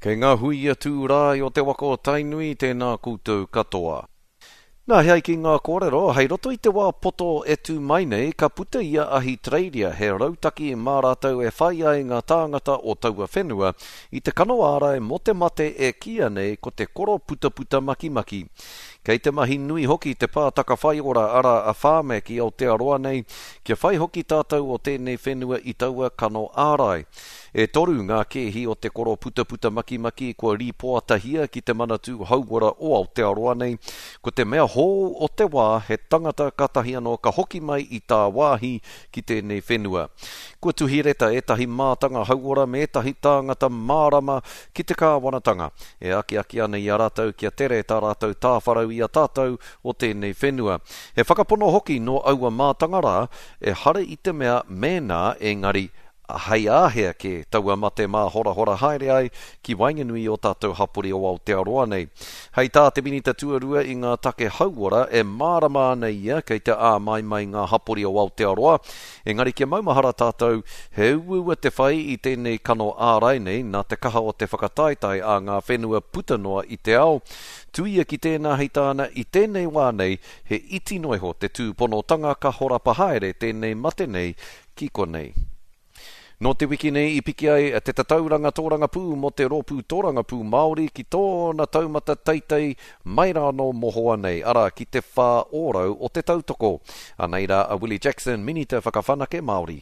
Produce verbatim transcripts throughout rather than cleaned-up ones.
Kei ngā huia tūrae o te waka o Tainui, tēnā koutou katoa. Nā, he ai ki ngā kōrero, hei roto i te wā poto e tū mai nei, ka puta i a Ahitereiria he rautaki mā rātou e whai ai ngā tāngata o taua whenua i te kano ārai mō te mate e kīia nei ko te koroputaputa makimaki. Kei te mahi nui hoki te pātaka whaiora arā a Pharmac i Aotearoa nei, kia whai hoki tātou o tēnei whenua i taua kano ārai. E toru ngā kēhi o te koroputaputa makimaki kua rīpoatahia ki te Manatū Hauora o Aotearoa nei, ko te mea hou o te wā he tangata kātahi anō ka hoki mai i tāwāhi ki tēnei whenua. Kua tuhi reta ētahi mātanga hauora me ētahi tāngata mārama ki te kāwanatanga, e akiaki ana i a rātou kia tere tā rātou tāwharau i a tātou o tēnei whenua. He whakapono hoki nō aua mātanga rā, ehara i te mea mēnā engari hei āhea kē taua mate māhorahora haere ai ki waenganui i ō tātou hapori o Aotearoa nei. Hei tā te Minita Tuarua i ngā take hauora e mārama ana ia kei te āmaimai ngā hapori o Aotearoa, engari kia maumahara tātou he uaua te whai i tēnei kano ārai nei nā te kaha o te whakataetae a ngā whenua puta noa i te ao. Tuia ki tēnā hei tāna i tēnei wā nei he iti noa iho te tūponotanga ka horapa haere tēnei mate nei ki konei. Nō te wiki nei i piki ai te tatauranga tōrangapū mō te Rōpū Tōrangapū Māori ki tōna taumata teitei mai rānō mohoa nei, arā, ki te whā ōrau o te tautoko. Anei rā a Willie Jackson, Minita Whakawhanake Māori.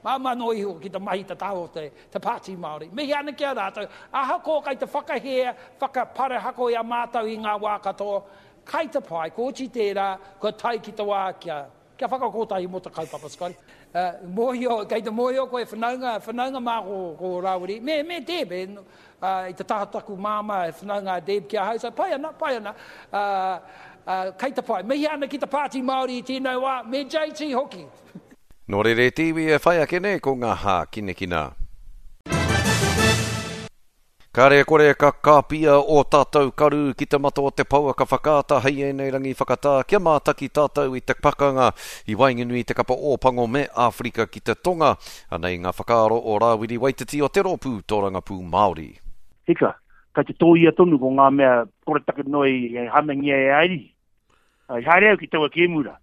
Māmā noa iho ki te mahi tatau o te, te Pāti Māori. Mihi ana ki a rātou, ahakoa kai te whakahē, whakaparahako i a mātou i ngā wā katoa, kai te pai, kua oti tērā, kua tae ki te wā kia, kia whakakotahi mō te kaupapa, Scotty. Uh, mōhio, kei te mōhio koe whanaunga, whanaunga mā ko, ko Rāwiri, me, me Deb, e, uh, i te taha taku māmā, e whanaunga a Deb ki ahau, so pai ana, pai ana, uh, uh, kei te pai. Mihi ana ki te Pāti Māori i tēnei wā, me J T hoki. Nō reira te iwi e whai ake nei ko ngā hākinakina. Kāre kore ka kāpia o tātou karu ki te mata o te pouaka whakaata hei ēnei rangi whakatā kia mātaki tātou i te pakanga i waenganui i te kapa Ōpango me Āwherika ki te Tonga. Anei ngā whakaaro o Rāwiri Waititi o te Rōpū Tōrangapū Māori. Hika, kei te tōia tonu ko ngā mea koretake noa i hanangia e Airihi. I haere au ki taua kēmura.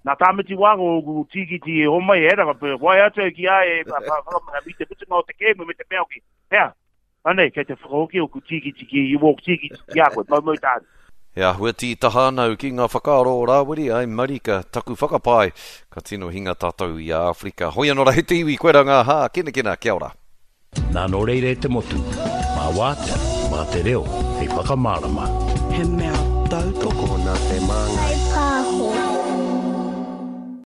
Nā Tāmati Wānga o tīkiti e homai e ranga, wai atu au ki a e whakamana i te mutunga o te kēmu me te mea hoki. Hea, anei, kei te whakahoki o ku tīkiti ki i wōku tīkiti ki a koe, mau mau tāne. He āhua tītaha anau ki ngā whakaaro o Rāwiri, ai marika, taku whakapae, ka tino hinga tātou i a Āwherika. Hoi anō rā he te iwi, koe rā ngā hā, kinakina, kia ora. Nā nō reira e te motu, mā wātea, mā te reo, hei whakamārama. He mea tautoko nā te māngai. Pāho.